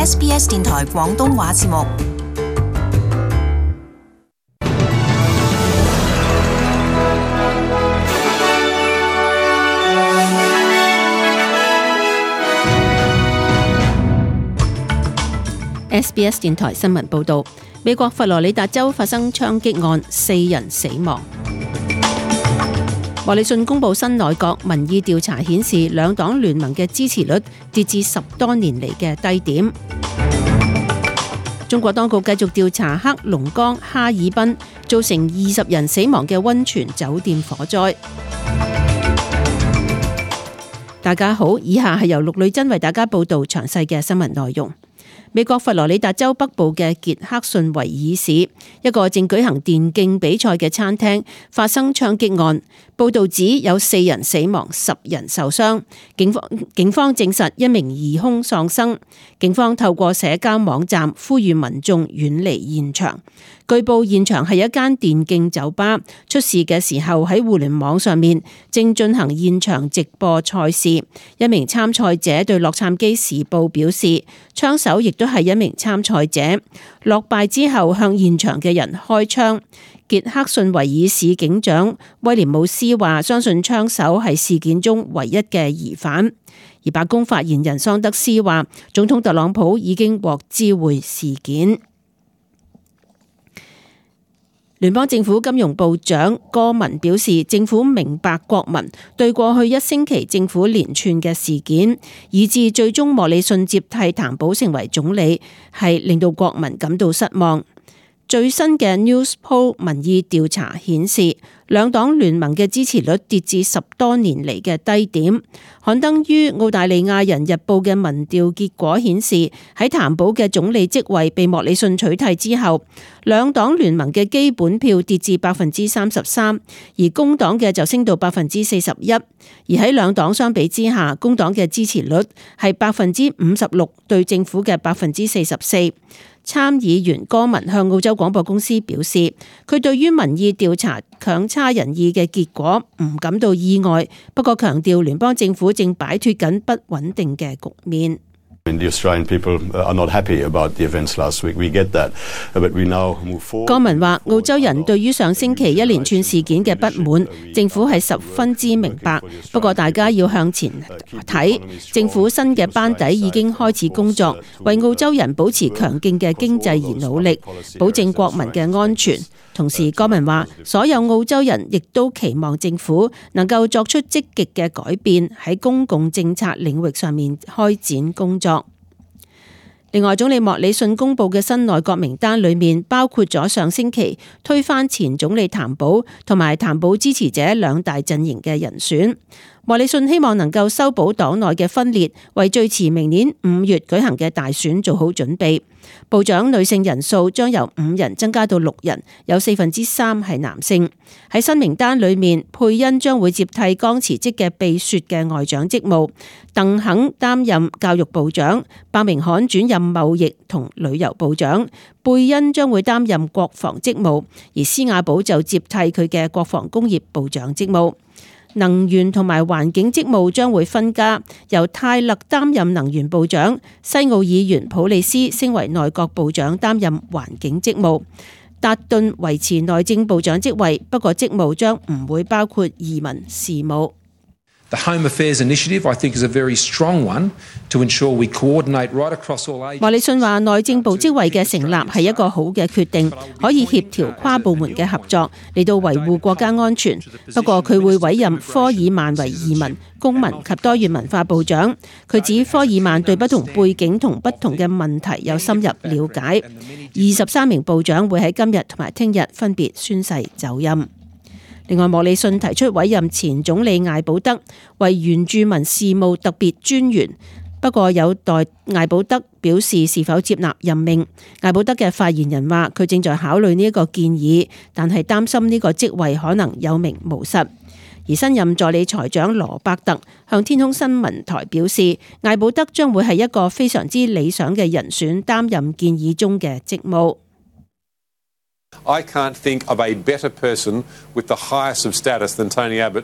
SBS 電台廣東話節目。SBS 電台新聞報導，美國佛羅里達州發生槍擊案，4人死亡。莫里遜公布新內閣民意調查顯示，兩黨聯盟嘅支持率跌至10多年嚟嘅低點。中國當局繼續調查黑龍江哈爾濱造成20人死亡嘅溫泉酒店火災。大家好，以下係由陸女真為大家報道詳細嘅新聞內容。美國佛羅里達州北部嘅傑克遜維爾市一個正舉行電競比賽嘅餐廳發生槍擊案，報道指有4人死亡，10人受傷。警方證實一名疑兇喪生。警方透過社交網站呼籲民眾遠離現場。據報現場係一間電競酒吧，出事嘅時候喺互聯網上面正進行現場直播賽事。一名參賽者對洛杉磯時報表示，槍手亦都係一名參賽者，落敗之後向現場嘅人開槍。傑克遜維爾市警長威廉姆斯話，相信槍手係事件中唯一嘅疑犯。而白宮發言人桑德斯話，總統特朗普已經獲知會事件。聯邦政府金融部長戈文表示，政府明白國民對過去1星期政府連串嘅事件，以致最終莫里遜接替譚寶成為總理，係令到國民感到失望。最新嘅 Newspoll 民意調查顯示，兩黨聯盟嘅支持率跌至10多年嚟嘅低點。刊登於澳大利亞人日報嘅民調結果顯示，喺譚寶嘅總理職位被莫里遜取替之後，兩黨聯盟嘅基本票跌至33%，而工黨嘅就升到41%。而喺兩黨相比之下，工黨嘅支持率係56%對政府嘅44%。參議員戈文向澳洲廣播公司表示，佢對於民意調查強差人意嘅結果唔感到意外，不過強調聯邦政府正擺脫緊不穩定嘅局面。戈文話，澳洲人對於上星期一連串事件嘅不滿，政府係十分之明白。不過大家要向前睇，政府新嘅班底已經開始工作，為澳洲人保持強勁嘅經濟而努力，保證國民嘅安全。同時，戈文話，所有澳洲人亦都期望政府能夠作出積極嘅改變，喺公共政策領域上面開展工作。另外，總理莫里遜公布嘅新內閣名單裏面包括咗上星期推翻前總理譚寶同埋譚寶支持者兩大陣營嘅人選。莫里遜希望能夠修補黨內嘅分裂，為最遲明年5月舉行嘅大選做好準備。部長女性人數將由5人增加到6人，有3%係男性。喺新名單裏面，佩恩將會接替剛辭職嘅秘書嘅外長職務，鄧肯擔任教育部長，伯明翰轉任貿易同旅遊部長，貝恩將會擔任國防職務，而施亞寶就接替佢嘅國防工業部長職務。能源同埋環境職務將會分家，由泰勒擔任能源部長，西澳議員普利斯升為內閣部長擔任環境職務，達頓維持內政部長職位，不過職務將唔會包括移民事務。The Home Affairs Initiative, I think, is a very strong one to ensure we coordinate right across all agencies. 莫里遜話，內政部職位嘅成立係一個好嘅決定，可以協調跨部門嘅合作嚟到維護國家安全。不過佢會委任科爾曼為移民、公民及多元文化部長。佢指科爾曼對不同背景同不同嘅問題有深入了解。23名部長會喺今日同埋聽日分別宣誓就任。另外，莫里遜提出委任前總理艾保德為原住民事務特別專員，不過有待艾保德表示是否接納任命。艾保德嘅發言人話，佢正在考慮呢一個建議，但係擔心呢個職位可能有名無實。而新任助理財長羅伯特向天空新聞台表示，艾保德將會係一個非常之理想嘅人選，擔任建議中嘅職務。I can't think of a better person with the highest of status than Tony Abbott.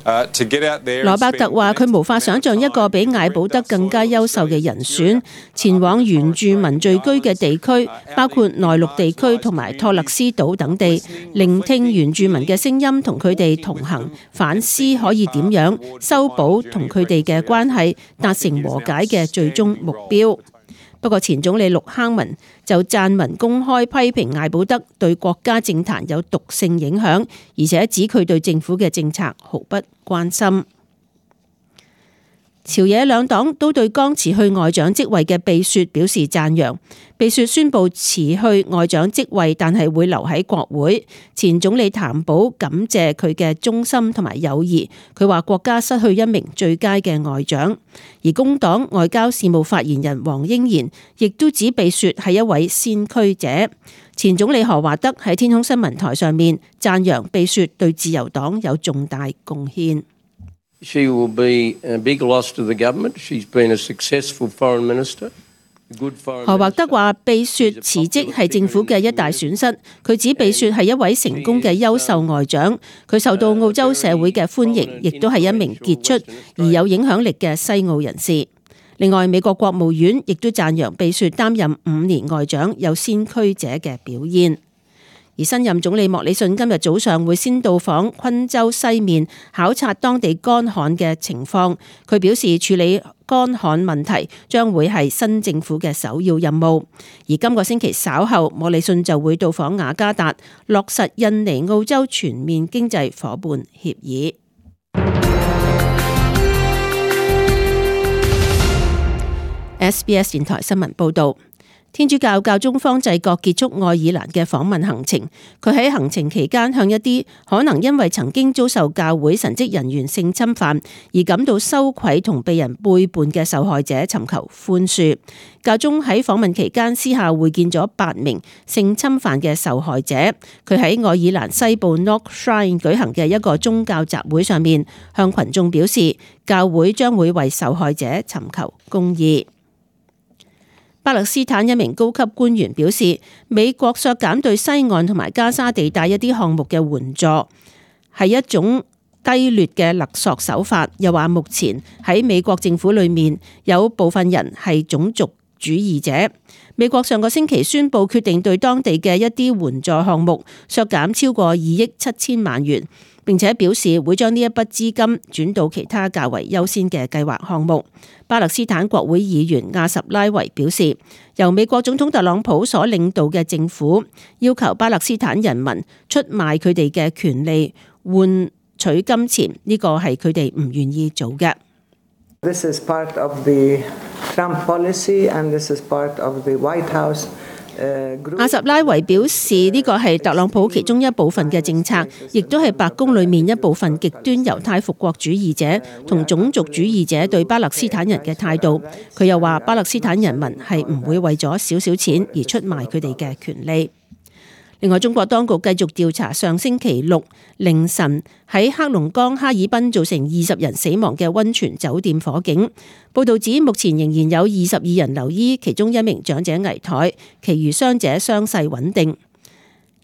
羅伯特話：佢無法想像一個比艾保德更加優秀嘅人選，前往原住民聚居嘅地區，包括內陸地區同埋托勒斯島等地，聆聽原住民嘅聲音，同佢哋同行，反思可以點樣修補同佢哋嘅關係，達成和解嘅最終目標。不過前總理陸克文就撰文公開批評艾保德對國家政壇有毒性影響，而且指佢對政府嘅政策毫不關心。朝野兩黨都對剛辭去外長職位嘅貝雪表示讚揚。貝雪宣布辭去外長職位，但係會留喺國會。前總理譚寶感謝佢嘅忠心同埋友誼，佢話國家失去一名最佳嘅外長。而工黨外交事務發言人黃英賢亦都指貝雪係一位先驅者。前總理何華德喺天空新聞台上面讚揚貝雪對自由黨有重大貢獻。She will be a big loss to the government. She's been a successful foreign minister. 何華德話：貝雪辭職係政府嘅一大損失。佢指貝雪係一位成功嘅優秀外長，佢受到澳洲社會嘅歡迎，亦都係一名傑出而有影響力嘅西澳人士。另外，美國國務院亦都讚揚貝雪擔任5年外長有先驅者嘅表現。而新任總理莫里遜今日早上會先到訪昆州西面，考察當地乾旱嘅情況。佢表示處理乾旱問題將會係新政府嘅首要任務。而今個星期稍後，莫里遜就會到訪雅加達，落實印尼澳洲全面經濟夥伴協議。SBS 電台新聞報導。天主教教宗方濟各結束愛爾蘭嘅訪問行程，佢喺行程期間向一啲可能因為曾經遭受教會神職人員性侵犯而感到羞愧同被人背叛嘅受害者尋求寬恕。教宗喺訪問期間私下會見咗8名性侵犯嘅受害者。佢喺愛爾蘭西部 Knock Shrine 舉行嘅一個宗教集會上面，向群眾表示教會將會為受害者尋求公義。巴勒斯坦一名高級官員表示，美國削減對西岸同埋加沙地帶一啲項目嘅援助係一種低劣嘅勒索手法。又話目前喺美國政府裏面有部分人係種族主義者。美國上個星期宣布決定對當地嘅一啲援助項目削減超過2億7千萬元，並且表示會將呢一筆資金轉到其他較為優先嘅計劃項目。巴勒斯坦國會議員亞什拉維表示，由美國總統特朗普所領導嘅政府要求巴勒斯坦人民出賣佢哋嘅權利換取金錢，呢個係佢哋唔願意做嘅。This is part of the Trump policy and this is part of the White House。阿什拉維表示，呢個係特朗普其中一部分嘅政策，亦都係白宮裏面一部分極端猶太復國主義者同種族主義者對巴勒斯坦人嘅態度。佢又話，巴勒斯坦人民係唔會為咗少少錢而出賣佢哋嘅權利。另外，中國當局繼續調查上星期6凌晨喺黑龍江哈爾濱造成20人死亡嘅溫泉酒店火警。報道指，目前仍然有22人留醫，其中1名長者危殆，其餘傷者傷勢穩定。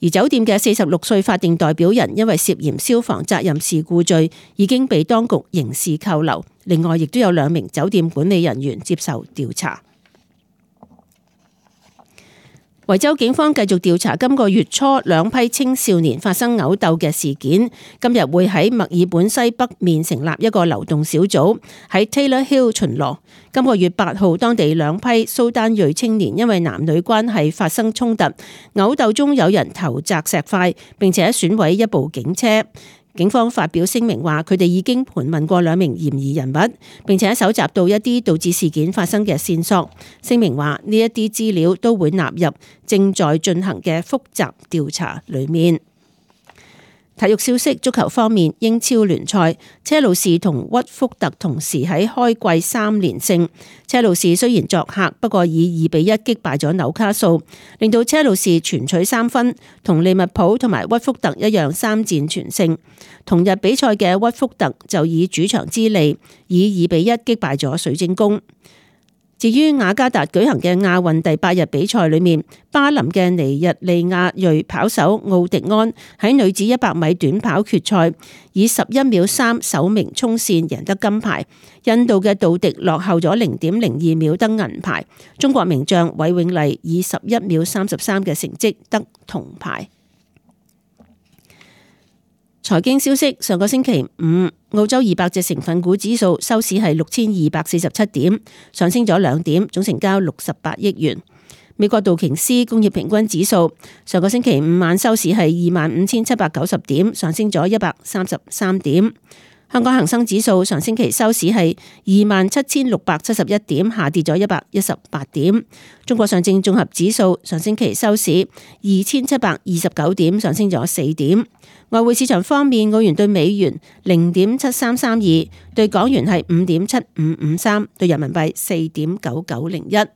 而酒店嘅46歲法定代表人因為涉嫌消防責任事故罪，已經被當局刑事扣留。另外，亦都有2名酒店管理人員接受調查。維州警方繼續調查今個月初2批青少年發生毆鬥嘅事件，今日會喺墨爾本西北面成立一個流動小組，喺 Taylor Hill 巡邏。今個月8號，當地2批蘇丹裔青年因為男女關係發生衝突，毆鬥中有人投擲石塊，並且損毀一部警車。警方發表聲明話，佢哋已經盤問過2名嫌疑人物，並且搜集到一啲導致事件發生嘅線索。聲明話，呢一啲資料都會納入正在進行嘅複雜調查裏面。體育消息，足球方面，英超聯賽，車路士同屈福特同時喺開季3連勝。車路士雖然作客，不過以2-1擊敗咗紐卡素，令到車路士全取3分，同利物浦同埋屈福特一樣3戰全勝。同日比賽嘅屈福特就以主場之利，以2-1擊敗咗水晶宮。至於雅加達舉行嘅亞運第8日比賽裏面，巴林嘅尼日利亞裔跑手奧迪安喺女子100米短跑決賽以11秒3首名衝線贏得金牌，印度嘅杜迪落後咗0.02秒得銀牌，中國名將韋永麗以11秒33嘅成績得銅牌。財經消息，上個星期五，澳洲200隻成分股指數收市係6247點，上升咗2點，總成交68億元。美國道瓊斯工業平均指數上個星期五晚收市係25790點，上升咗133點。香港恒生指數上星期收市係27671點，下跌咗118點。中國上證綜合指數上星期收市2729點，上升咗4點。外匯市場方面，澳元對美元0.7332，對港元係5.7553，對人民幣4.9901。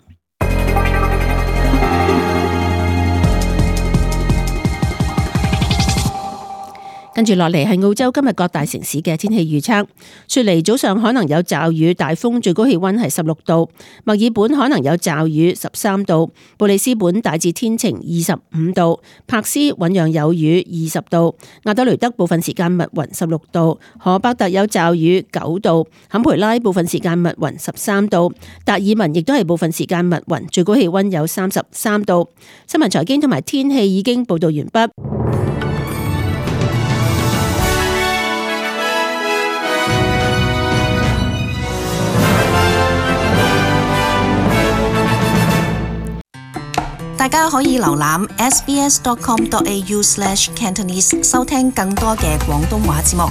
跟住落嚟係澳洲今日各大城市嘅天氣預測。雪梨早上可能有驟雨、大風，最高氣溫係16度；墨爾本可能有驟雨13度；布里斯本大致天晴25度；柏斯醞釀有雨20度；亞德雷德部分時間密雲16度；荷伯特有驟雨9度；坎培拉部分時間密雲13度；達爾文亦都係部分時間密雲，最高氣溫有33度。新聞財經同埋天氣已經報道完畢。大家可以瀏覽 sbs.com.au/cantonese 收聽更多嘅廣東話節目。